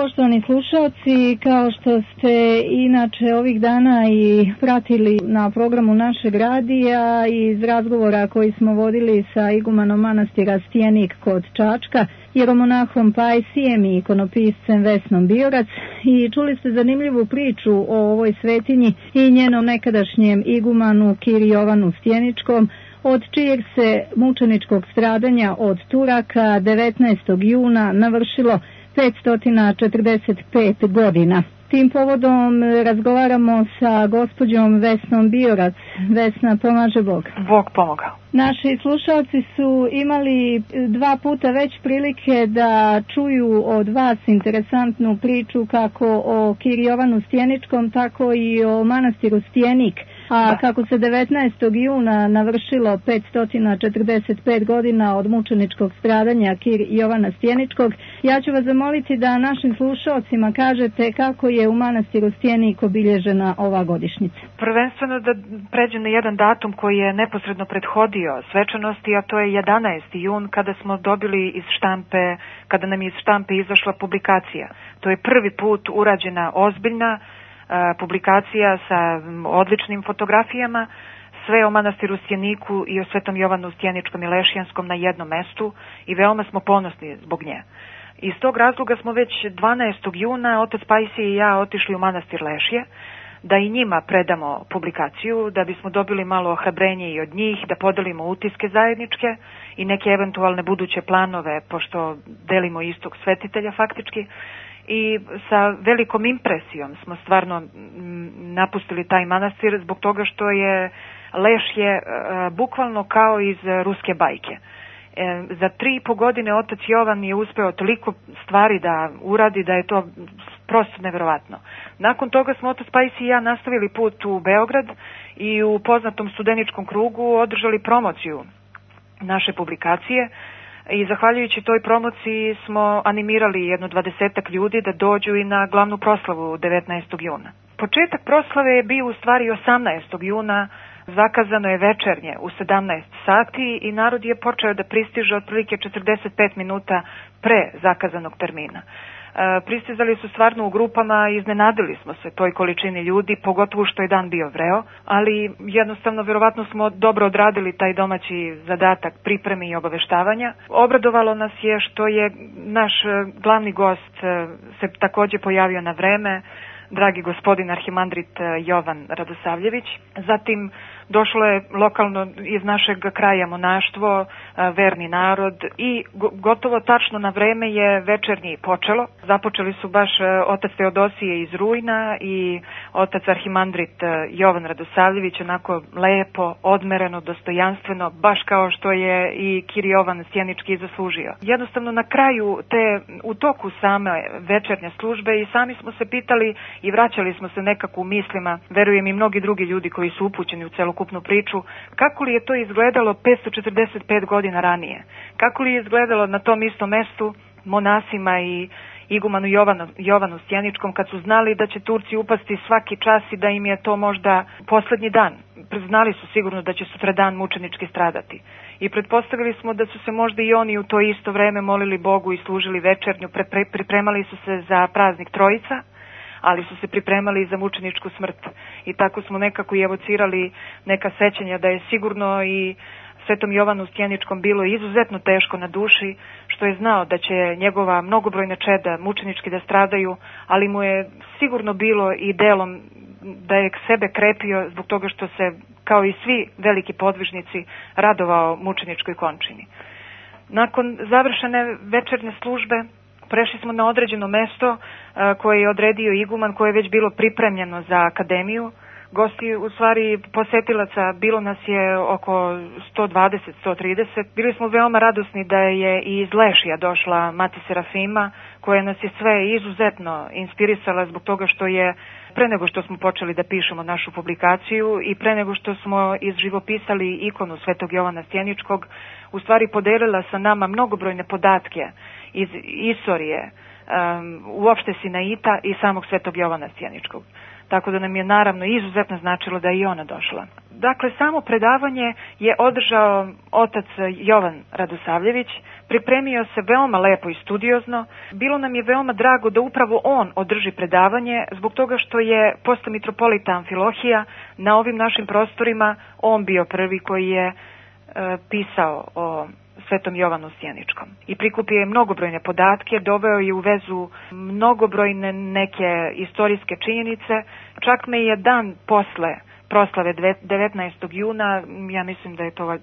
Poštovani slušalci, kao što ste inače ovih dana i pratili na programu našeg radija i iz razgovora koji smo vodili sa igumanom manastira Stjenik kod Čačka, jeromonahom Pajsijem i ikonopiscem Vesnom Biorac, i čuli ste zanimljivu priču o ovoj svetinji i njenom nekadašnjem igumanu Kiri Jovanu Stjeničkom, od čijeg se mučeničkog stradanja od Turaka 19. juna navršilo 545 godina. Tim povodom razgovaramo sa gospođom Vesnom Biorac. Vesna, pomaže Bog. Bog pomogao. Naši slušalci su imali 2 puta već prilike da čuju od vas interesantnu priču kako o Kiri Jovanu Stjeničkom, tako i o manastiru Stjenik. A kako se 19. juna navršilo 545 godina od mučeničkog stradanja Kiri Jovana Stjeničkog, ja ću vas zamoliti da našim slušalcima kažete kako je u manastiru Stjenik obilježena ova godišnjica. Prvenstveno da pređem na jedan datum koji je neposredno prethodio svečanosti, a to je 11. jun kada smo dobili iz štampe, kada nam je iz štampe izašla publikacija. To je prvi put urađena ozbiljna publikacija sa odličnim fotografijama, sve o manastiru Stjeniku i o Svetom Jovanu Stjeničkom i Lešijanskom na jednom mestu, i veoma smo ponosni zbog nje. Iz tog razloga smo već 12. juna otac Pajsije i ja otišli u manastir Lešije da i njima predamo publikaciju, da bismo dobili malo ohrabrenje i od njih, da podelimo utiske zajedničke i neke eventualne buduće planove, pošto delimo istog svetitelja faktički. I sa velikom impresijom smo stvarno napustili taj manastir zbog toga što je Lešje bukvalno kao iz ruske bajke. Za 3,5 godine otac Jovan je uspeo toliko stvari da uradi da je to prosto neverovatno. Nakon toga smo otac Pajsi i ja nastavili put u Beograd i u poznatom studeničkom krugu održali promociju naše publikacije. I zahvaljujući toj promociji smo animirali jedno 20 ljudi da dođu i na glavnu proslavu 19. juna. Početak proslave je bio u stvari 18. juna, zakazano je večernje u 17 sati i narod je počeo da pristiže otprilike 45 minuta pre zakazanog termina. Pristizali su stvarno u grupama i iznenadili smo se toj količini ljudi, pogotovo što je dan bio vreo, ali jednostavno verovatno smo dobro odradili taj domaći zadatak pripreme i obaveštavanja. Obradovalo nas je što je naš glavni gost se takođe pojavio na vreme, dragi gospodin arhimandrit Jovan Radosavljević. Zatim došlo je lokalno iz našeg kraja monaštvo, verni narod, i gotovo tačno na vreme je večernji počelo. Započeli su baš otac Teodosije iz Rujna i otac arhimandrit Jovan Radosavljević, onako lepo, odmereno, dostojanstveno, baš kao što je i Kiri Jovan Stjenički zaslužio. Jednostavno na kraju u toku same večernje službe i sami smo se pitali i vraćali smo se nekako u mislima, verujem i mnogi drugi ljudi koji su upućeni u celokupnu priču, kako li je to izgledalo 545 godina ranije? Kako li je izgledalo na tom istom mestu monasima i igumanu Jovanu Stjeničkom kad su znali da će Turci upasti svaki čas i da im je to možda poslednji dan? Znali su sigurno da će sutradan mučenički stradati. I pretpostavili smo da su se možda i oni u to isto vreme molili Bogu i služili večernju, pripremali su se za praznik Trojica, ali su se pripremali za mučeničku smrt. I tako smo nekako i evocirali neka sećanja da je sigurno i Svetom Jovanu Stjeničkom bilo izuzetno teško na duši, što je znao da će njegova mnogobrojna čeda mučenički da stradaju, ali mu je sigurno bilo i delom da je sebe krepio zbog toga što se, kao i svi veliki podvižnici, radovao mučeničkoj končini. Nakon završene večernje službe prešli smo na određeno mesto koje je odredio iguman, koje je već bilo pripremljeno za akademiju. Gosti, u stvari posetilaca, bilo nas je oko 120-130. Bili smo veoma radosni da je i iz Lešija došla Mati Serafima, koja nas je sve izuzetno inspirisala zbog toga što je, pre nego što smo počeli da pišemo našu publikaciju i pre nego što smo izživopisali ikonu Svetog Jovana Stjeničkog, u stvari podelila sa nama mnogobrojne podatke iz istorije, uopšte Sinaita i samog Svetog Jovana Stjeničkog. tako da nam je naravno izuzetno značilo da je i ona došla. Dakle, samo predavanje je održao otac Jovan Radosavljević, pripremio se veoma lepo i studiozno. Bilo nam je veoma drago da upravo on održi predavanje, zbog toga što je posle mitropolita Amfilohija na ovim našim prostorima on bio prvi koji je pisao o Svetom Jovanu Stjeničkom. I prikupio je mnogobrojne podatke, doveo je u vezu mnogobrojne neke istorijske činjenice. Čak me je dan posle proslave 19. juna, ja mislim da je to,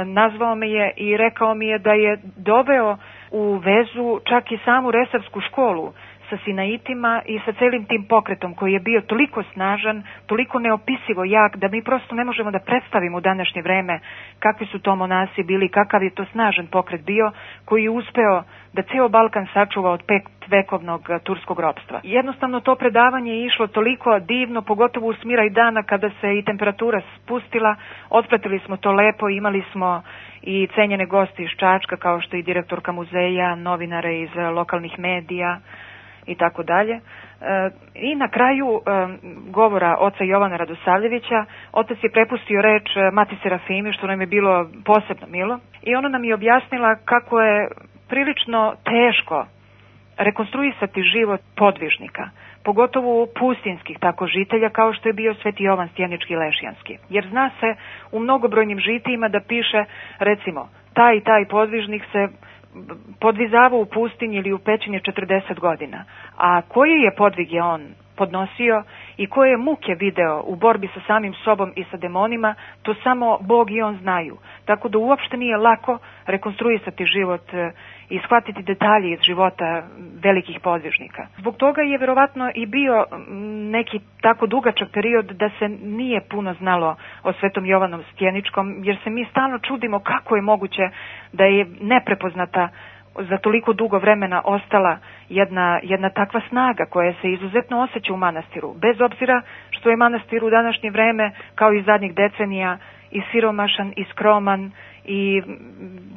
nazvao me je i rekao mi je da je doveo u vezu čak i samu Resavsku školu sa Sinaitima i sa celim tim pokretom koji je bio toliko snažan, toliko neopisivo jak, da mi prosto ne možemo da predstavimo u današnje vreme kakvi su to monasi bili, kakav je to snažan pokret bio, koji je uspeo da ceo Balkan sačuva od 5-vekovnog turskog ropstva. Jednostavno to predavanje je išlo toliko divno, pogotovo u smira i dana kada se i temperatura spustila, otpratili smo to lepo, imali smo i cenjene goste iz Čačka, kao što i direktorka muzeja, novinare iz lokalnih medija i tako dalje. I na kraju govora oca Jovana Radosavljevića, otac je prepustio reč Mati Serafimi, što nam je bilo posebno milo, i ona nam je objasnila kako je prilično teško rekonstruisati život podvižnika, pogotovo pustinskih tako žitelja kao što je bio Sveti Jovan Stjenički Lešijanski. Jer zna se u mnogobrojnim žitijima da piše, recimo, taj i taj podvižnik se podvizavao u pustinji ili u pećini 40 godina. A koji je podvig je on podnosio i koje je muke video u borbi sa samim sobom i sa demonima, to samo Bog i on znaju. Tako da uopšte nije lako rekonstruisati život i shvatiti detalje iz života velikih podvižnika. Zbog toga je verovatno i bio neki tako dugačak period da se nije puno znalo o Svetom Jovanu Stjeničkom, jer se mi stalno čudimo kako je moguće da je neprepoznata za toliko dugo vremena ostala jedna takva snaga koja se izuzetno osjeća u manastiru, bez obzira što je manastir u današnje vreme, kao i zadnjih decenija, i siromašan, i skroman, i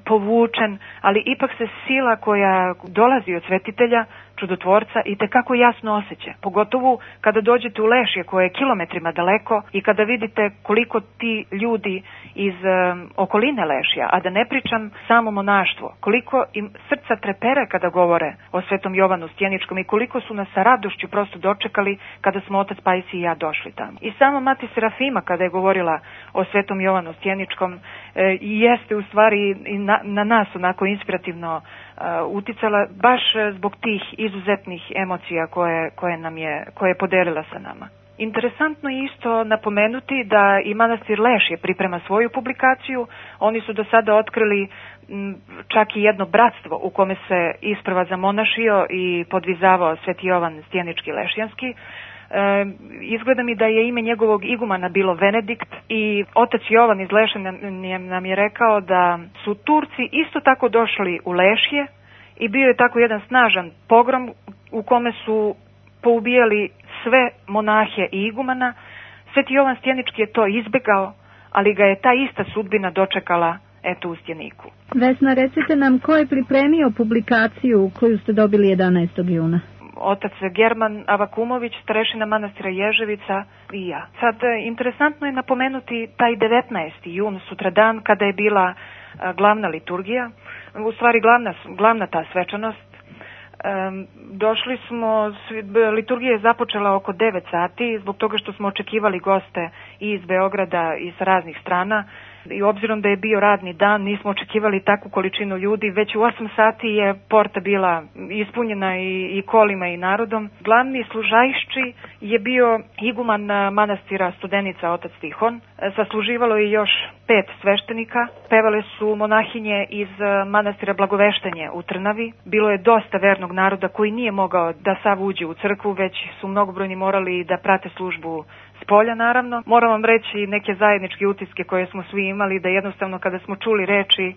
povučen, ali ipak se sila koja dolazi od svetitelja, čudotvorca, i tekako jasno osjeća. Pogotovo kada dođete u Lešje koje je kilometrima daleko i kada vidite koliko ti ljudi iz okoline Lešja, a da ne pričam samo monaštvo, koliko im srca trepere kada govore o Svetom Jovanu Stjeničkom i koliko su nas sa radošću prosto dočekali kada smo otac Pajsi i ja došli tamo. I sama Mati Serafima kada je govorila o Svetom Jovanu Stjeničkom jeste u stvari i na nas onako inspirativno uticala baš zbog tih izuzetnih emocija koje je podelila sa nama. Interesantno je isto napomenuti da i manastir Lešje priprema svoju publikaciju. Oni su do sada otkrili čak i jedno bratstvo u kome se isprva zamonašio i podvizavao Sveti Jovan Stjenički Lešijanski. Izgleda mi da je ime njegovog igumana bilo Venedikt i otac Jovan iz Lešja nam je rekao da su Turci isto tako došli u Lešje i bio je tako jedan snažan pogrom u kome su poubijali sve monahe i igumana. Sveti Jovan Stjenički je to izbegao, ali ga je ta ista sudbina dočekala eto u Stjeniku. Vesna, recite nam ko je pripremio publikaciju koju ste dobili 11. juna? Otac German Avakumović, starešina manastira Ježevica i ja. Sad, interesantno je napomenuti taj 19. jun, sutradan, kada je bila glavna liturgija, u stvari glavna ta svečanost. Došli smo, liturgija je započela oko 9 sati, zbog toga što smo očekivali goste i iz Beograda i sa raznih strana. I obzirom da je bio radni dan, nismo očekivali takvu količinu ljudi. Već u 8 sati je porta bila ispunjena i kolima i narodom. Glavni služajšči je bio iguman manastira Studenica, otac Tihon. Sasluživalo je još 5 sveštenika. Pevale su monahinje iz manastira Blagoveštenje u Trnavi. Bilo je dosta vernog naroda koji nije mogao da sav uđe u crkvu, već su mnogobrojni morali da prate službu s polja, naravno. Moram vam reći neke zajedničke utiske koje smo svi imali, da jednostavno kada smo čuli reči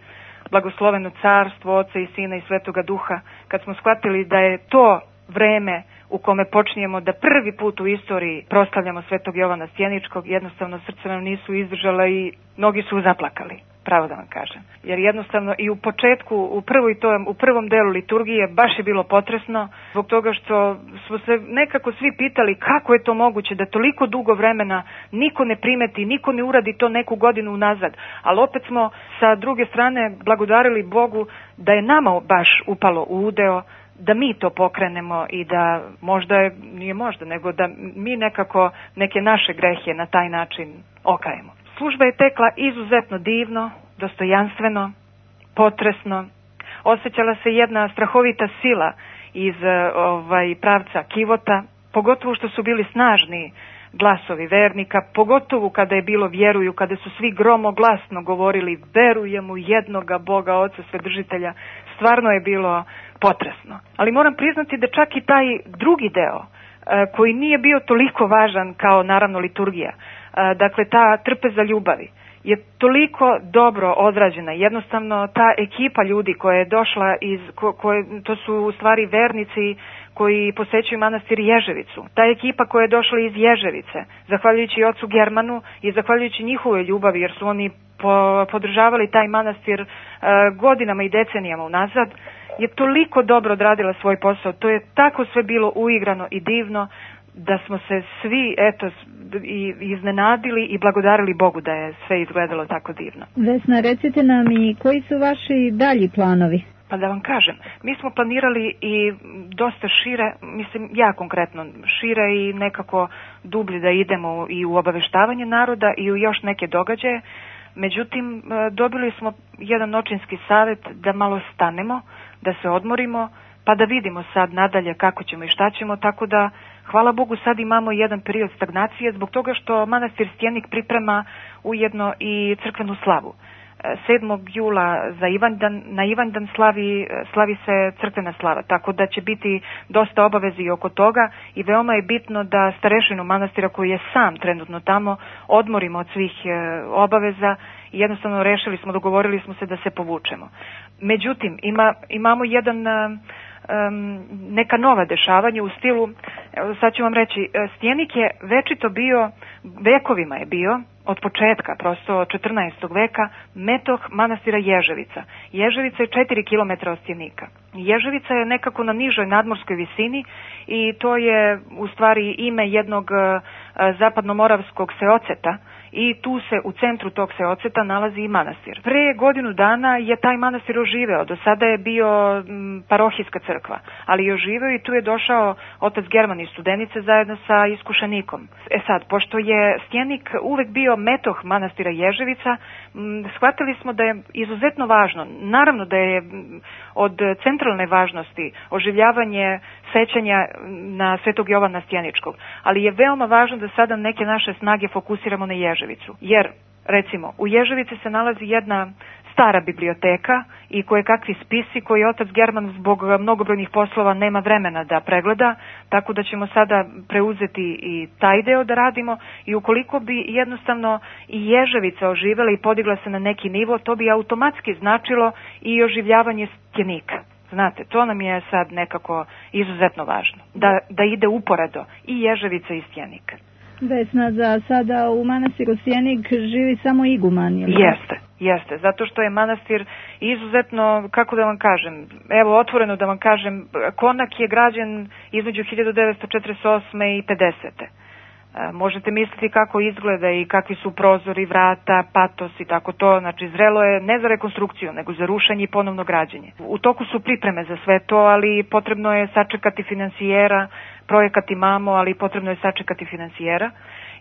blagosloveno carstvo, Oca i Sina i Svetoga Duha, kad smo shvatili da je to vreme u kome počinjemo da prvi put u istoriji proslavljamo Svetog Jovana Stjeničkog, jednostavno srce nam nisu izdržala i mnogi su zaplakali. pravo da vam kažem. Jer jednostavno i u početku, u prvom delu liturgije baš je bilo potresno, zbog toga što smo se nekako svi pitali kako je to moguće da toliko dugo vremena niko ne primeti, niko ne uradi to neku godinu unazad. Ali opet smo sa druge strane blagodarili Bogu da je nama baš upalo u udeo da mi to pokrenemo i da nego da mi nekako neke naše grehe na taj način okajemo. Služba je tekla izuzetno divno, dostojanstveno, potresno. Osjećala se jedna strahovita sila iz pravca Kivota, pogotovo što su bili snažni glasovi vernika, pogotovo kada je bilo vjeruju, kada su svi gromoglasno govorili verujemo u jednoga Boga, Oca Svedržitelja. Stvarno je bilo potresno. Ali moram priznati da čak i taj drugi deo, koji nije bio toliko važan kao naravno liturgija, dakle ta trpeza ljubavi, je toliko dobro odrađena. Jednostavno ta ekipa ljudi koja je došla to su u stvari vernici koji posećuju manastir Ježevicu. Ta ekipa koja je došla iz Ježevice, zahvaljujući ocu Germanu i zahvaljujući njihovoj ljubavi, jer su oni podržavali taj manastir godinama i decenijama unazad, je toliko dobro odradila svoj posao. To je tako sve bilo uigrano i divno da smo se svi iznenadili i blagodarili Bogu da je sve izgledalo tako divno. Vesna, recite nam i koji su vaši dalji planovi? Pa da vam kažem, mi smo planirali i dosta šire, mislim ja konkretno šire i nekako dublje da idemo i u obaveštavanje naroda i u još neke događaje. Međutim, dobili smo jedan očinski savjet da malo stanemo, da se odmorimo, pa da vidimo sad nadalje kako ćemo i šta ćemo, tako da hvala Bogu sad imamo jedan period stagnacije zbog toga što manastir Stjenik priprema ujedno i crkvenu slavu. 7. jula na Ivandan slavi se crkvena slava, tako da će biti dosta obavezi oko toga i veoma je bitno da starešinu manastira koji je sam trenutno tamo odmorimo od svih obaveza i jednostavno dogovorili smo se da se povučemo. Međutim, imamo neka nova dešavanja u stilu, sad ću vam reći, Stjenik je večito bio, vekovima je bio, od početka, prosto 14. veka, metoh manastira Ježevica. Ježevica je 4 km od Stjenika. Ježevica je nekako na nižoj nadmorskoj visini i to je u stvari ime jednog zapadnomoravskog seoceta i tu se u centru tog seoceta nalazi i manastir. Pre godinu dana je taj manastir oživeo, do sada je bio parohijska crkva, ali je oživeo i tu je došao otac German iz Studenice zajedno sa iskušenikom. Sad, pošto je Stjenik uvek bio metoh manastira Ježevica, shvatili smo da je izuzetno važno, naravno da je od centralne važnosti oživljavanje sećanja na Svetog Jovana Stjeničkog, ali je veoma važno da sada neke naše snage fokusiramo na Ježevicu, jer recimo u Ježevici se nalazi jedna stara biblioteka i kakvi spisi koji otac German zbog mnogobrojnih poslova nema vremena da pregleda, tako da ćemo sada preuzeti i taj deo da radimo i ukoliko bi jednostavno i Ježevica oživela i podigla se na neki nivo, to bi automatski značilo i oživljavanje Stjenika. Znate, to nam je sad nekako izuzetno važno, da ide uporedo i Ježevica i Stjenik. Vesna, za sada u manastiru Stjenik živi samo iguman, je li? Jeste, zato što je manastir izuzetno, kako da vam kažem, evo otvoreno da vam kažem, konak je građen između 1948. i 50. Možete misliti kako izgleda i kakvi su prozori, vrata, patos i tako to, znači zrelo je ne za rekonstrukciju, nego za rušenje i ponovno građenje. U toku su pripreme za sve to, ali potrebno je sačekati finansijera, projekat imamo, ali potrebno je sačekati finansijera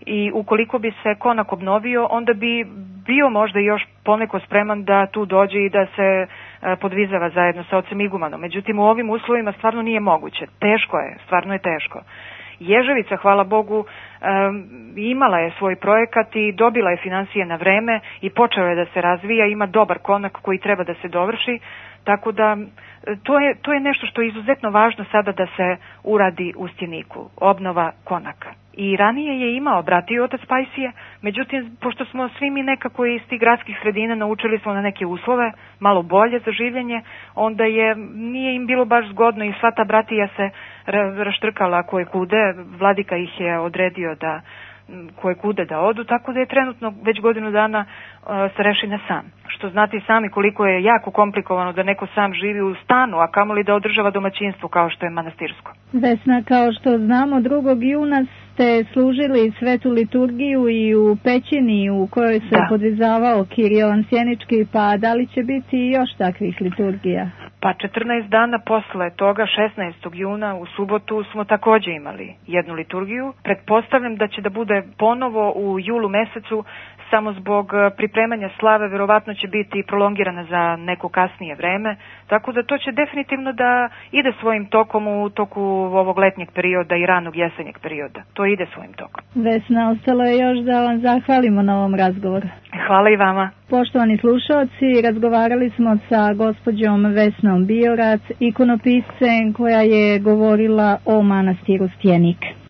i ukoliko bi se konak obnovio, onda bi bio možda još poneko spreman da tu dođe i da se podvizava zajedno sa ocem igumanom. Međutim, u ovim uslovima stvarno nije moguće. Teško je, stvarno je teško. Ježevica, hvala Bogu, imala je svoj projekat i dobila je finansije na vreme i počeo je da se razvija, ima dobar konak koji treba da se dovrši, tako da to je nešto što je izuzetno važno sada da se uradi u Stjeniku, obnova konaka. I ranije je imao brat i otac Pajsije, međutim, pošto smo svi mi nekako iz tih gradskih sredina naučili smo na neke uslove, malo bolje za življenje, onda nije im bilo baš zgodno i sva ta bratija se raštrkala koje kude, vladika ih je odredio koje kude da odu, tako da je trenutno već godinu dana starešina sam. Što znate i sami koliko je jako komplikovano da neko sam živi u stanu, a kamoli da održava domaćinstvo kao što je manastirsko. Vesna, kao što znamo, 2. juna ste služili svetu liturgiju i u pećini u kojoj se podvizavao Kirijovan Sjenički, pa da li će biti još takvih liturgija? Pa 14 dana posle toga, 16. juna u subotu, smo takođe imali jednu liturgiju. Pretpostavljam da će da bude ponovo u julu mesecu, samo zbog pripremanja slave, verovatno će biti prolongirana za neko kasnije vreme, tako da to će definitivno da ide svojim tokom u toku ovog letnjeg perioda i ranog jesenjeg perioda. To ide svojim tokom. Vesna, ostalo je još da vam zahvalimo na ovom razgovoru. Hvala i vama. Poštovani slušalci, razgovarali smo sa gospođom Vesnom Biorac, ikonopiscem koja je govorila o manastiru Stjenik.